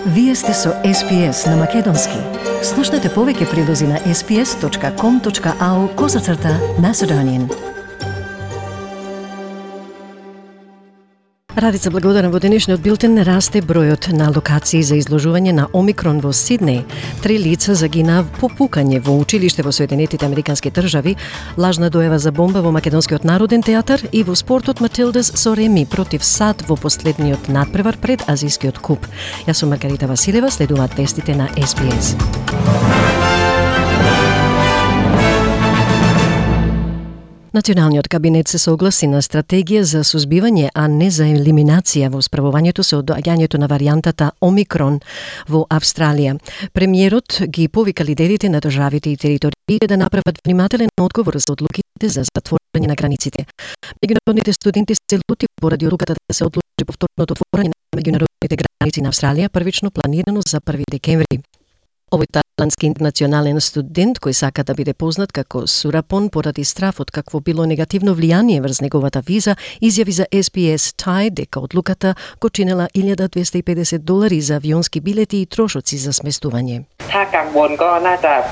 Вие сте со SPS на Македонски. Слушнете повеќе прилози на sps.com.au/Macedonian. Радица благодарам, во денешниот билтен расте бројот на локации за изложување на Омикрон во Сиднеј. 3 лица загинаа по пукање во училиште во Соединетите Американски држави, лажна дојава за бомба во Македонскиот народен театар и во спортот Матилдас со реми против САД во последниот надпревар пред Азискиот куп. Јас сум Маргарита Василева, следуваат вестите на SPS. Националниот кабинет се согласи на стратегија за сузбивање, а не за елиминација во справувањето со доаѓањето на варијантата Омикрон во Австралија. Премиерот ги повика лидерите на државите и териториите да направат внимателен одговор за одлуките за затворање на границите. Меѓународните студенти се лути поради одлуката да се одложи повторното отворање на меѓународните граници на Австралија, првично планирано за 1 декември. Овој тајландски интернационален студент, кој сака да биде познат како Сурапон поради страфот какво било негативно влијание врз неговата виза, изјави за SPS Thai дека одлуката го чинела $1,250 за авионски билети и трошоци за сместување.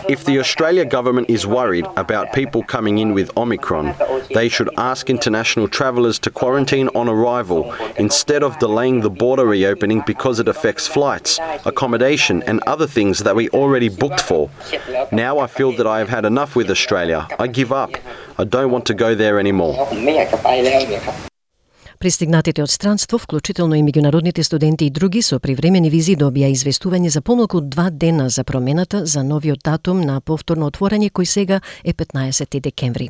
If the Australia government is worried about people coming in with Omicron, they should ask international travellers to quarantine on arrival instead of delaying the border reopening because it affects flights, accommodation and other things that we already booked for. Now I feel that I have had enough with Australia. I give up. I don't want to go there anymore. Пристигнатите од странство, вклучително и меѓународните студенти и други со привремени визи, добија известување за помалку од 2 дена за промената за новиот датум на повторно отворање, кој сега е 15 декември.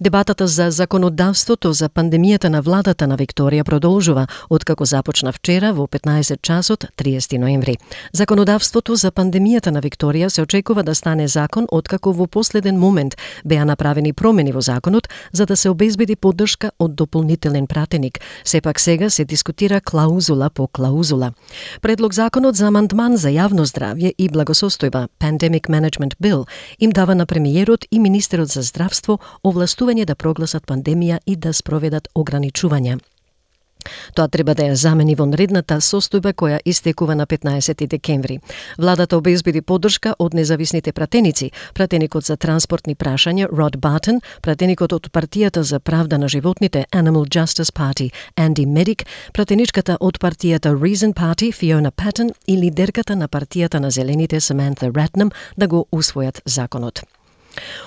Дебатата за законодавството за пандемијата на владата на Викторија продолжува, откако започна вчера во 15 часот 30 ноември. Законодавството за пандемијата на Викторија се очекува да стане закон откако во последен момент беа направени промени во законот за да се обезбеди поддршка од дополнителен пратеник. Сепак сега се дискутира клаузула по клаузула. Предлог законот за амандман за јавно здравје и благосостојба, Pandemic Management Bill, им дава на премиерот и министерот за здравство овластување да прогласат пандемија и да спроведат ограничувања. Тоа треба да ја замени вонредната состојба која истекува на 15 декември. Владата обезбеди поддршка од независните пратеници, пратеникот за транспортни прашања Род Бартон, пратеникот од партијата за правда на животните Animal Justice Party Анди Медик, пратеничката од партијата Reason Party Фиона Патон и лидерката на партијата на зелените Саманта Ратнам да го усвојат законот.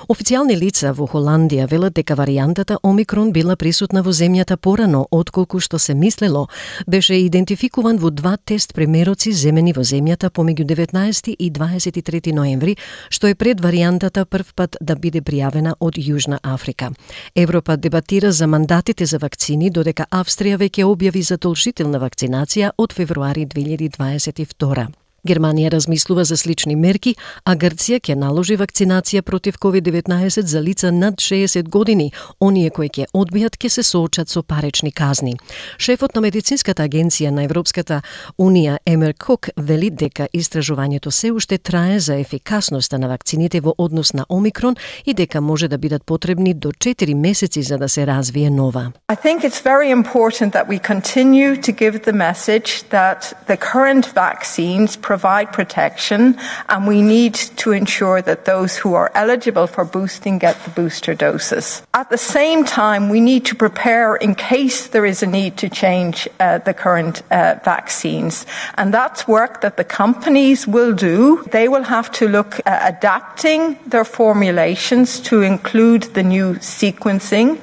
Официјални лица во Холандија велат дека варијантата Омикрон била присутна во земјата порано отколку што се мислело. Беше идентификуван во 2 тест примероци земени во земјата помеѓу 19 и 23 ноември, што е пред варијантата прв пат да биде пријавена од Јужна Африка. Европа дебатира за мандатите за вакцини, додека Австрија веќе објави задолжителна вакцинација од февруари 2022. Германија размислува за слични мерки, а Грција ќе наложи вакцинација против COVID-19 за лица над 60 години. Оние кои ќе одбијат ќе се соочат со парични казни. Шефот на медицинската агенција на Европската унија Емер Кук вели дека истражувањето се уште трае за ефикасноста на вакцините во однос на Омикрон и дека може да бидат потребни до 4 месеци за да се развие нова. I think it's very important that we continue to give the message that the current vaccines provide protection, and we need to ensure that those who are eligible for boosting get the booster doses. At the same time, we need to prepare in case there is a need to change the current vaccines. And that's work that the companies will do. They will have to look at adapting their formulations to include the new sequencing.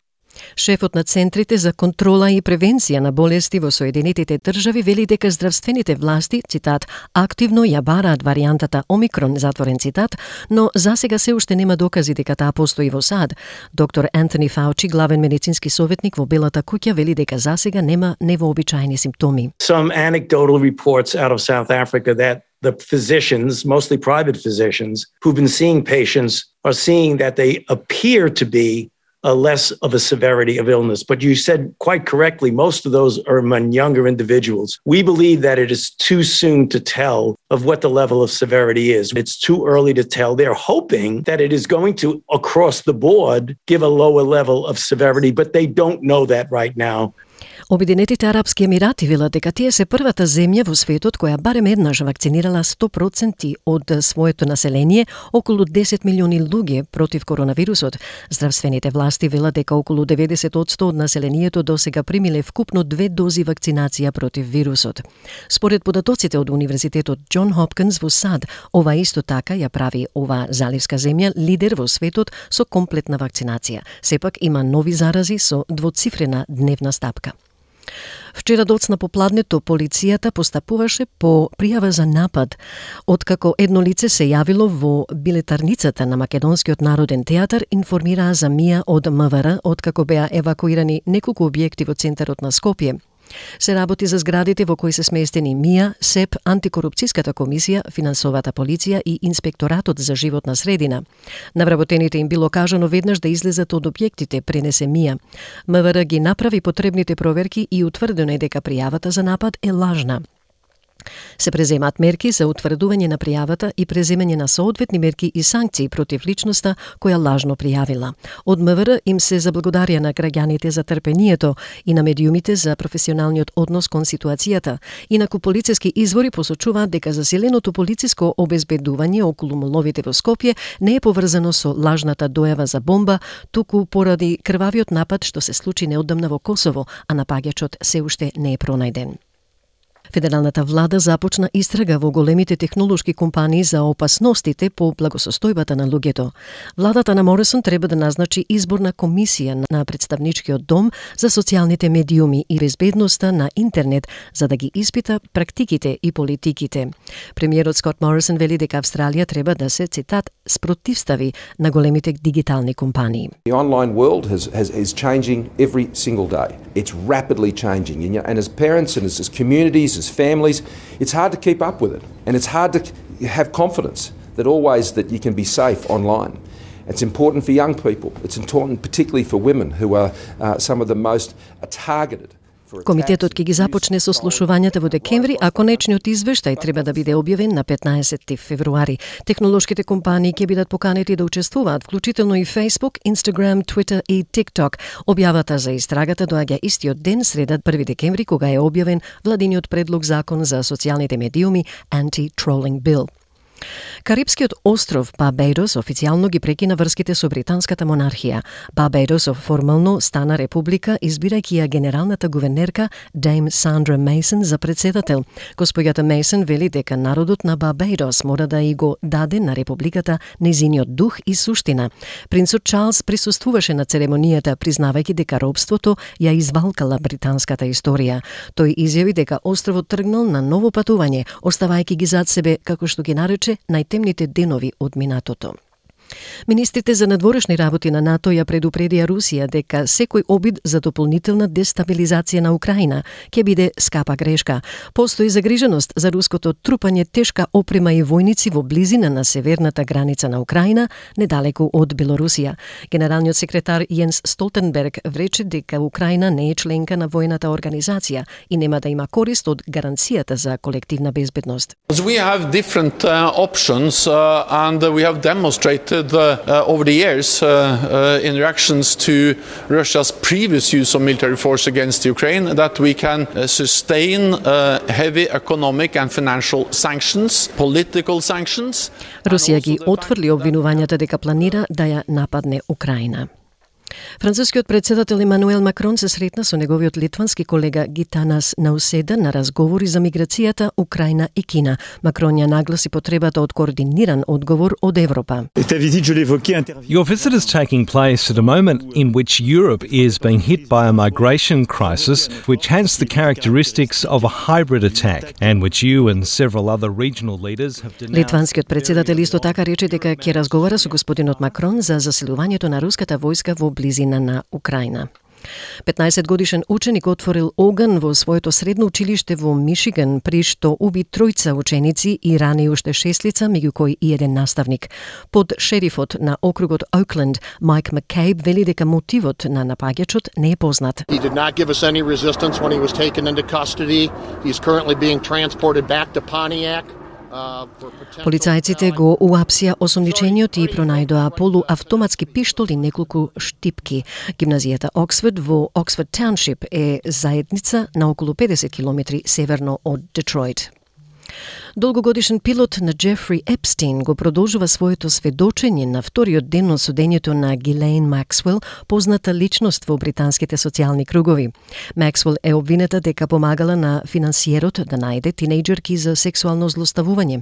Шефот на Центрите за контрола и превенција на болести во Соединетите држави вели дека здравствените власти, цитат, активно ја бараат варијантата Омикрон, затворен цитат, но засега се уште нема докази дека таа постои во САД. Доктор Антони Фаучи, главен медицински советник во Белата куќа, вели дека засега нема невообичаени симптоми. Some anecdotal reports out of South Africa that the physicians, mostly private physicians, who've been seeing patients are seeing that they appear to be less of a severity of illness. But you said quite correctly, most of those are among younger individuals. We believe that it is too soon to tell of what the level of severity is. It's too early to tell. They're hoping that it is going to, across the board, give a lower level of severity, but they don't know that right now. Обединетите арапски емирати велат дека тие се првата земја во светот која барем еднаш вакцинирала 100% од своето население, околу 10 милиони луѓе против коронавирусот. Здравствените власти велат дека околу 90% од населението досега примиле вкупно 2 дози вакцинација против вирусот. Според податоците од Универзитетот Џон Хопкинс во САД, ова исто така ја прави ова заливска земја лидер во светот со комплетна вакцинација. Сепак има нови зарази со двоцифрена дневна стапка. Вчера доцна попладнето полицијата постапуваше по пријава за напад, откако едно лице се јавило во билетарницата на Македонскиот народен театар, информираа за МИА од МВР, откако беа евакуирани неколку објекти во центарот на Скопје. Се работи за зградите во кои се сместени МИА, СЕП, Антикорупцијската комисија, финансовата полиција и Инспекторатот за животна средина. На вработените им било кажано веднаш да излезат од објектите, пренесе МИА. МВР ги направи потребните проверки и утврдено е дека пријавата за напад е лажна. Се преземаат мерки за утврдување на пријавата и преземање на соодветни мерки и санкции против личноста која лажно пријавила. Од МВР им се заблагодарија на граѓаните за трпението и на медиумите за професионалниот однос кон ситуацијата. Инаку полициски извори посочуваат дека засиленото полициско обезбедување околу моловите во Скопје не е поврзано со лажната дојава за бомба, туку поради крвавиот напад што се случи неодамна во Косово, а напаѓачот се уште не е пронајден. Федералната влада започна истрага во големите технолошки компании за опасностите по благосостојбата на луѓето. Владата на Морисон треба да назначи изборна комисија на представничкиот дом за социјалните медиуми и безбедноста на интернет за да ги испита практиките и политиките. Премиерот Скот Морисон вели дека Австралија треба да се, цитат, спротивстави на големите дигитални компании. The online world is changing every single day. It's rapidly changing, and as parents and as communities, as families, it's hard to keep up with it, and it's hard to have confidence that you can be safe online. It's important for young people. It's important particularly for women who are some of the most targeted. Комитетот ќе ги започне сослушувањата во декември, а конечниот извештај треба да биде објавен на 15 февруари. Технолошките компании ќе бидат поканети да учествуваат, вклучително и Facebook, Instagram, Twitter и TikTok. Објавата за истрагата доаѓа истиот ден, среда 1 декември, кога е објавен владиниот предлог закон за социјалните медиуми Anti-Trolling Bill. Карипскиот остров Барбадос официјално ги прекина врските со британската монархија. Барбадос формално стана република, избирајќи ја генералната гувернерка Дейм Сандра Мейсон за председател. Господјата Мейсон вели дека народот на Барбадос мора да и го даде на републиката нејзиниот дух и суштина. Принцот Чарлс присуствуваше на церемонијата, признавајќи дека робството ја извалкала британската историја. Тој изјави дека островот тргнал на ново патување, оставајќи ги зад себе, како што ги нарече, најтемните денови од минатото. Министрите за надворешни работи на НАТО ја предупредија Русија дека секој обид за дополнителна дестабилизација на Украина ќе биде скапа грешка. Постои загриженост за руското трупање тешка опрема и војници во близина на северната граница на Украина, недалеку од Белорусија. Генералниот секретар Јенс Столтенберг рече дека Украина не е членка на војната организација и нема да има корист од гаранцијата за колективна безбедност. We have different options and we have demonstrated over the years in reactions to Russia's previous use of military force against Ukraine that we can sustain heavy economic and financial sanctions, political sanctions. Русија ги отфрли обвинувањата дека планира да ја нападне Украина. Францускиот председател Емануел Макрон се сретна со неговиот литвански колега Гитанас Науседа на разговори за миграцијата, Украина и Кина. Макрон ја нагласи потребата од координиран одговор од Европа. Your visit is taking place at a moment in which Europe is being hit by a migration crisis which has the characteristics of a hybrid attack and which you and several other regional leaders have denounced. Литванскиот председател исто така рече дека ќе разговара со господинот Макрон за засилувањето на руската војска во близина на Украина. 15-годишен ученик отворил оган во своето средно училиште во Мишиган, при што уби 3 ученици и рани уште 6 лица, меѓу кои и еден наставник. Под шерифот на округот Оукленд, Майк Маккейб, вели дека мотивот на напаѓачот не е познат. He did not give us any resistance when he was taken into custody. He's currently being transported back to Pontiac. Полицајците го уапсија осомничениот и пронајдоа полуавтоматски пиштол и неколку штипки. Гимназијата Оксфорд во Оксфорд Тауншип е заедница на околу 50 километри северно од Детройт. Долгогодишен пилот на Джефри Епстин го продолжува своето сведочење на вториот ден од судењето на Гилејн Максвел, позната личност во британските социјални кругови. Максвел е обвинета дека помагала на финансиерот да најде тинејџерки за сексуално злоставување.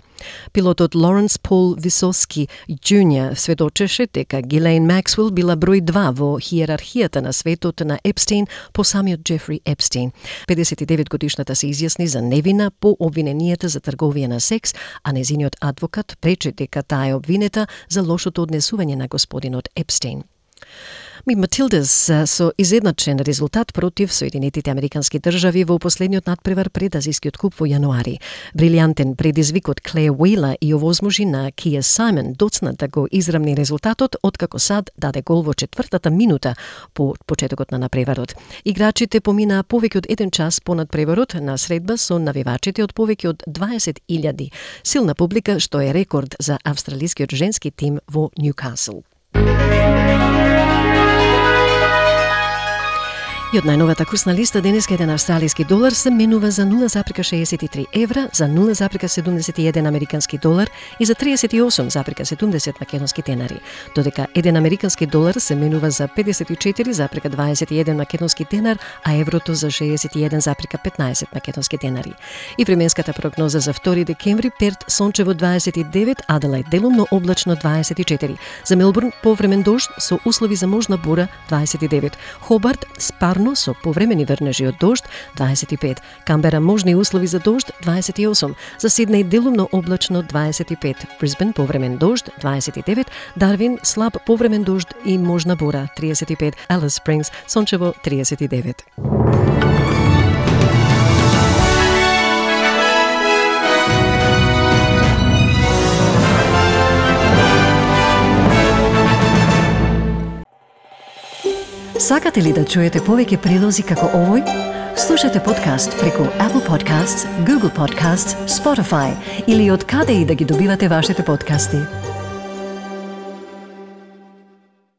Пилотот Лоренс Пол Висоски Џуниор сведочеше дека Гилејн Максвел била број 2 во хиерархијата на светот на Епстин по самиот Джефри Епстин. 59-годишната се изјасни за невина по обвиненијата за трговија на секс, а незиниот адвокат пречи дека таа е обвинета за лошото однесување на господинот Епстин. Матилдас со изедначен резултат против Соединетите Американски држави во последниот надпревар пред азискиот куп во јануари. Брилијантен предизвик од Клеј Уејла и овозможи на Кија Сајмон доцна да го израмни резултатот, откако Сад даде гол во 4-та минута по почетокот на надпреварот. Играчите поминаа повеќе од 1 час по надпреварот на средба со навивачите од повеќе од 20.000. Силна публика што е рекорд за австралискиот женски тим во Ньюкасл. И од најновата курсна листа денеска еден австралиски долар се менува за 0,63 евра, за 0,71 американски долар и за 38,70 македонски денари, додека еден американски долар се менува за 54,21 македонски денар, а еврото за 61,15 македонски денари. И временската прогноза за 2 декември: Перт сончево 29, Аделајд делумно облачно 24, за Мелбурн повремен дожд со услови за можна бура 29, Хобарт спарно со повремени врнежи од дожд 25, Камбера можни услови за дожд 28, за Сиднеј делумно облачно 25, Брисбен повремен дожд 29, Дарвин слаб повремен дожд и можна бура 35, Алис Спрингс сончево 39. Сакате ли да чуете повеќе прилози како овој? Слушате подкаст преку Apple Podcasts, Google Podcasts, Spotify или од каде и да ги добивате вашите подкасти.